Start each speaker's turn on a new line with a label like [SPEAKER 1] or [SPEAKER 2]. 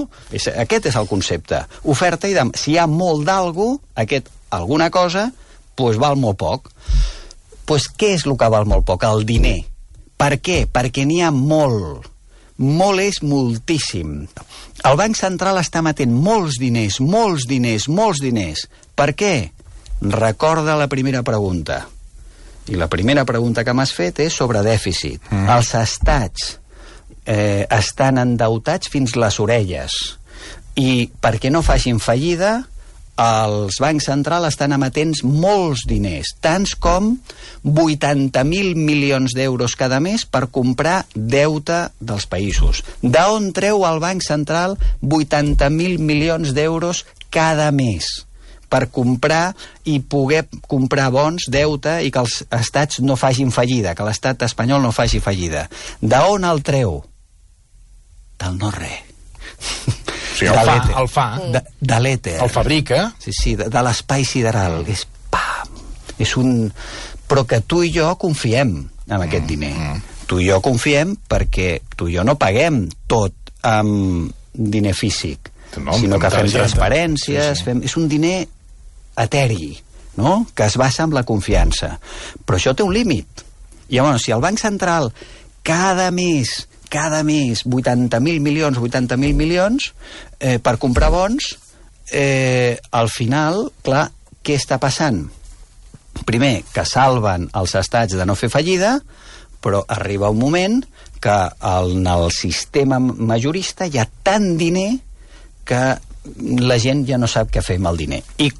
[SPEAKER 1] no? Aquest és el concepte. Oferta i demanda. Si hi ha molt d'algú, alguna cosa, doncs val molt poc. Doncs què és el que val molt poc? El diner. Per què? Perquè n'hi ha molt. Molt és moltíssim. El Banc Central està emetent molts diners. Per què? Recorda la primera pregunta. I la primera pregunta que m'has fet és sobre dèficit. Els estats estan endeutats fins les orelles. I perquè no facin fallida, els bancs centrals estan emetent molts diners, tants com 80.000 milions d'euros cada mes per comprar deute dels països. D'on treu el Banc Central 80.000 milions d'euros cada mes per comprar i poder comprar bons, deute, i que els estats no facin fallida, que l'estat espanyol no faci fallida? D'on el treu? Del no-res.
[SPEAKER 2] Sí, el fa.
[SPEAKER 1] De l'èter.
[SPEAKER 2] El fabrica.
[SPEAKER 1] Sí, de l'espai sideral. És pam! És un... Però que tu i jo confiem en aquest diner. Tu i jo confiem perquè tu i jo no paguem tot amb diner físic, sinó que fem transferències, és un diner eteri, no? Que es basa en la confiança. Però això té un límit. I llavors, si el Banc Central cada mes 80.000 milions per comprar bons, al final, clar, què està passant? Primer, que salven els estats de no fer fallida, però arriba un moment que en el sistema majorista hi ha tant diner que la gent ja no sap què fer amb el diner. I